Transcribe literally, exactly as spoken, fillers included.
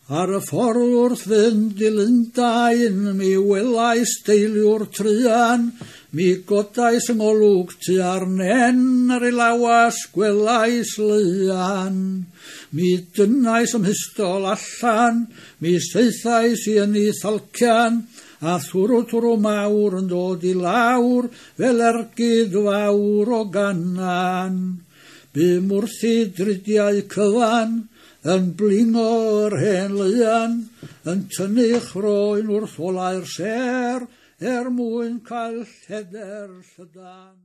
Ar y ffordd wrth fynd i Lundain, mi welais deiliwr truan, mi godais yng ngolwg tua'r nen ar ei lawas gwelais leuan. Mi dynnais ym mhistol allan, mi saethais i yn ei thalcian, a thwrw twrw mawr yn dod i lawr fel ergyd fawr o ganan. Bûm wrthi dridiau cyfan, yn blingo'r hen leuan, yn tynnu chroen wrth olau'r sêr, er mwyn cael lledr llydan.